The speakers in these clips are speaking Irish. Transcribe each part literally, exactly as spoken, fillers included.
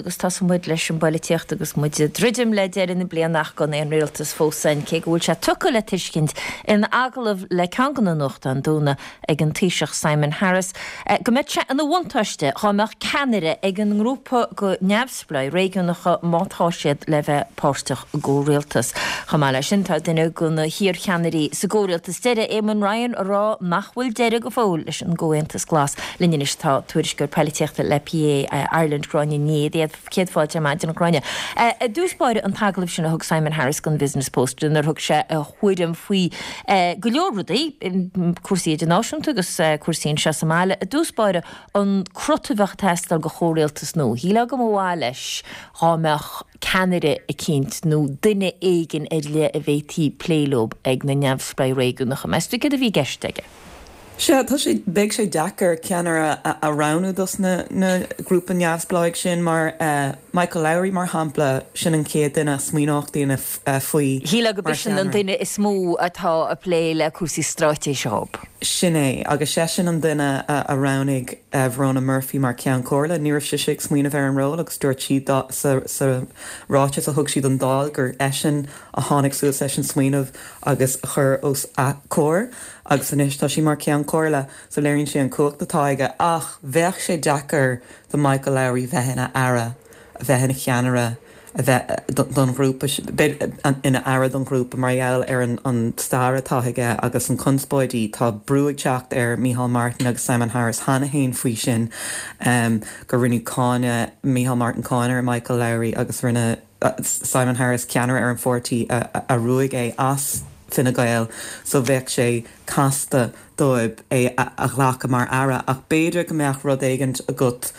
agus tosóidh muid leis an bpolaitíocht agus muid ag druidim le deireadh na bliana ach gan aon rialtas fós ann, cé go bhfuil sé tugtha le tuiscint in agallamh le ceann de na nuachtáin dúnadh ag an Taoiseach Simon Harris go mbeadh sé ina bhuntáiste dá mbeadh ceannaire ag an ngrúpa de neamhspleáigh réigiúnacha má tá siad le bheith páirteach i gcomhrialtas. Chomh maith leis sin tá duine de na hiarcheannairí sa gcomhrialtas deiridh, Eamon Ryan, ag rá nach bhfuil deireadh go fóill leis an gComhaontas Glas. Linn anois tá tuairisceoir polaitíochta le P A Ireland, Gráinne Ní Aodha. Céad fáilte ar maidin, a Ghráinne. I dtús báire an t-agallamh sin a thug Simon Harris don Business Post inar thug sé a thuairim faoi go leor rudaí, cúrsaí idirnáisiúnta agus cúrsaí anseo sa mbaile. I dtús báire an crot a bheadh ag teastáil do chomhrialtas nua. Shílfeá go mba mhaith leis dhá mbeadh ceannaire eicínt nó duine éigin ar leith a bhféadfaí plé leo ag na neamhspleáigh réigiúnacha. Meas tú céard a bhí i gceist aige? Sea, tá sé, beidh sé deacair ceannaire a roghnú dos na na grúpa neamhspleáigh sin mar Michael Lowry mar shampla, sin an chéad duine a smaoineodh daoine faoi Shílfeá go mar b'shin an cheannaire. duine is mó atá ag plé le cúrsaí straitéise dhób. Sin é, agus seisean an duine a roghnaigh Verona Murphy mar Cheann Comhairle. Ní raibh sise ag smaoineamh ar an ról agus dúirt sí sa sa ráiteas a thug sí don Dáil gur eisean a tháinig suas leis an smaoineamh agus a chuir os a comhair agus anois tá sí mar Cheann Comhairle, so léiríonn sé an cumhacht atá aige ach bheadh sé deacair do Michael Lowry bheith ina aire, a bheith ina cheannaire, a bheith don ghrúpa ina aire don ghrúpa mar gheall ar an an stair atá aige agus an conspóidí. Tá brú ag teacht ar Micheál Martin agus Simon Harris cheana féin faoi sin gur rinneadh cáineadh Micheál Martin cáineadh ar Michael Lowry agus rinne Simon Harris ceannaire ar an pháirtí a ruaig é as Fine Gael so bheadh sé casta dóibh é a ghlacadh mar aire ach b'fhéidir go mbeadh rud éigint agat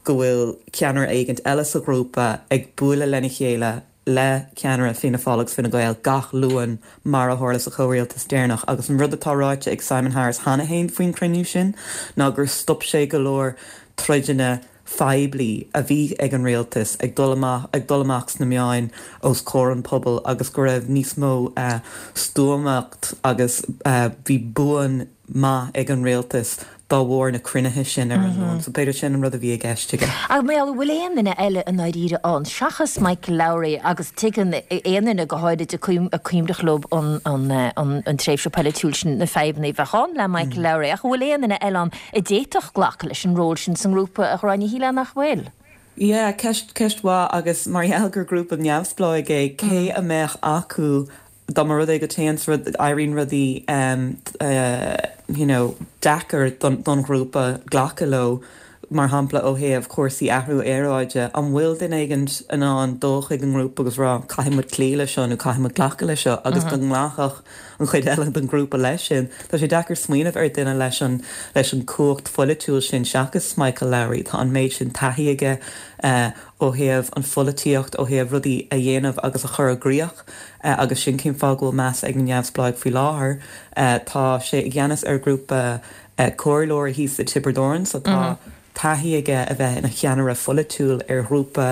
go bhfuil ceannaire éigint eile sa ghrúpa ag bualadh lena chéile le ceannaire Fianna Fáil agus Fine Gael gach Luan mar a tharla sa chomhrialtas deireanach agus an rud atá ráite ag Simon Harris cheana féin faoin chruinniú sin ná gur stop sé go leor troideanna phoiblí a bhí ag an rialtas ag dul amach ag dul amach sna meáin os comhair an pobail agus go raibh níos mó stuamacht agus bhí buan maith ag an rialtas dá bharr na cruinnithe sin ar an Luan, so b'fhéidir sin an rud a bhí i gceist aige. Ach mar gheall, bhfuil aon duine eile i ndáiríre ann seachas Michael Lowry agus tuigeann aon duine go háirid a cuimhneach leo an an tréimhse polaitiúil sin na fadhbanna a bheadh ann le Michael Lowry ach an bhfuil aon duine eile ann a d'fhéadfadh glacadh leis an ról sin sa ngrúpa a Ghráinne Shílfeá nach bhfuil? Yeah, ceist ceist mhaith agus mar gheall gur grúpa neamhspleáigh é, cé a mbeadh acu dá mba rud é go téann rud éiríonn rudaí you know deacair don don ghrúpa glacadh leo mar shampla ó thaobh cúrsaí athrú aeráide, an bhfuil duine éigin in ann dul chuig an ngrúpa agus rá caithfidh muid cloí leis seo nó caithfidh muid glacadh leis seo agus go nglacfadh an chuid eile den ghrúpa leis sin. Tá sé deacair smaoineamh ar duine leis an leis an cumhacht pholaitiúil sin seachas Michael Lowry. Tá an méid sin taithí aige ó thaobh an pholaitíocht, ó thaobh rudaí a dhéanamh agus a chur i gcrích agus sin cén fáth go bhfuil meas ag na neamhspleáigh faoi láthair. Tá sé i gceannas ar ghrúpa comhairleoirí thíos i Tiobraid Árann, so tá taithí aige a bheith ina cheannaire pholaitiúil ar ghrúpa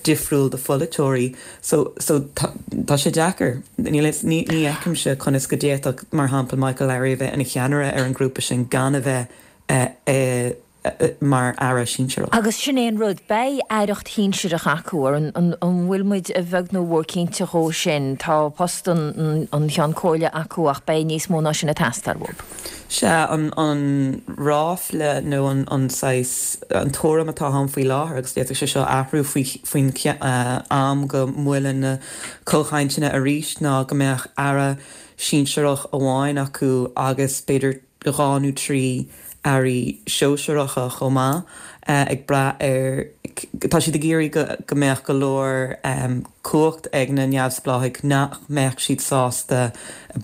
difriúil de pholaiteoirí. So so tá sé deacair. Ní ní fheicimse conas go d'fhéadfadh mar shampla Michael Lowry a bheith ina cheannaire ar an grúpa sin gan a bheith mar aire sinsearach. Agus sin é an rud, beidh aireacht shinsearach acu ar an an bhfuil muid a bheag nó a mhór cinnte dhó sin. Tá post an an Cheann Comhairle acu ach beidh níos mó ná sin ag teastáil uathu. Sea, an an ráfla nó an an saghas an tuairim atá ann faoi láthair agus d'fhéadfadh sé seo athrú faoi faoin am go mbuaileann na comhchainteanna arís ná go mbeadh aire sinsearach amháin acu agus b'fhéidir dhá nó trí airí sóisearacha chomh maith ag brath ar tá siad ag iarraidh go go mbeadh go leor cumhacht ag na neamhspleáigh nach mbeadh siad sásta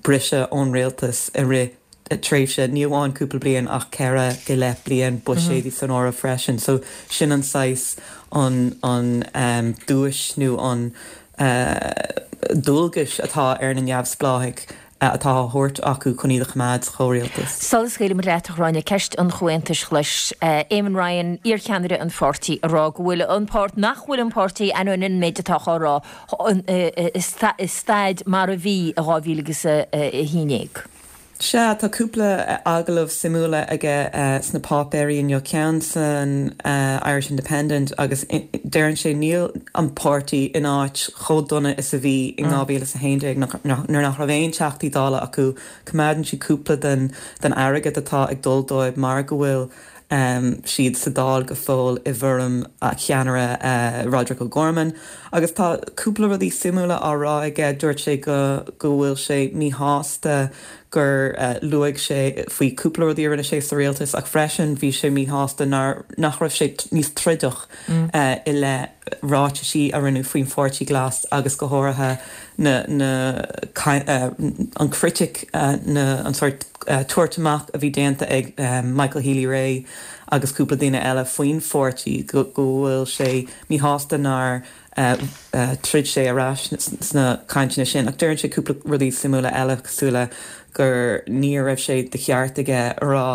briseadh ón rialtas i rith tréimhse ní amháin cúpla bliain ach ceithre go leith bliain buiséidí san áireamh freisin. So sin an saghas an an duais nó an dualgas atá ar na neamhspleáigh atá á thabhairt acu chun iad a choimeád sa chomhrialtas. Sula scaoilfidh muid leat a Ghráinne, ceist an Chomhaontais Ghlais. Eamon Ryan, iarcheannaire an pháirtí, ag rá go bhfuil an páirt, nach bhfuil an páirtí, ainneoin an méid atá á rá, i staid mar a bhí i dhá mhíle agus a haon déag. Sea, tá cúpla agallamh suimiúla aige sna páipéirí inniu, ceann san Irish Independent agus deireann sé níl an páirtí in áit chomh dona is a bhí in dhá mhíle is a haon déag nuair nach raibh aon Teachtaí Dála acu. Coimeádann siad cúpla den den airgead atá ag dul dóibh mar go bhfuil siad sa Dáil go fóill i bhfoirm cheannaire Roderic O'Gorman. Agus tá cúpla rudaí suimiúla á rá aige, dúirt sé go go bhfuil sé míshásta gur luaigh sé faoi cúpla rudaí a rinne sé sa rialtas ach freisin bhí sé míshásta nár nach raibh sé níos troideach i leith ráitisí a rinneadh faoin Pháirtí Glas agus go háirithe na na an critic na an sórt tabhairt amach a bhí déanta ag Michael Healy-Rae agus cúpla duine eile faoin pháirtí go bhfuil sé míshásta nár troid sé ar ais sna cainteanna sin. Ach deireann sé cúpla rudaí suimiúla eile cosúil le gur ní raibh sé de cheart aige a rá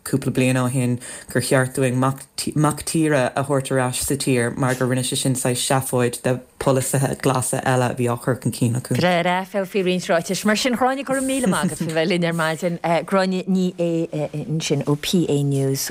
cúpla bliain ó shin gur cheart dúinn mac tíre a thabhairt ar ais sa tír mar gur rinne sé sin saghas seafóid de pholasaithe glasa eile a bhí á chur chun cinn acu. Breá aiféal faoi roinnt ráitis mar sin. Gráinne, go raibh míle maith agat faoi bheith linn ar maidin. Gráinne Ní Aodha ansin ó P A News.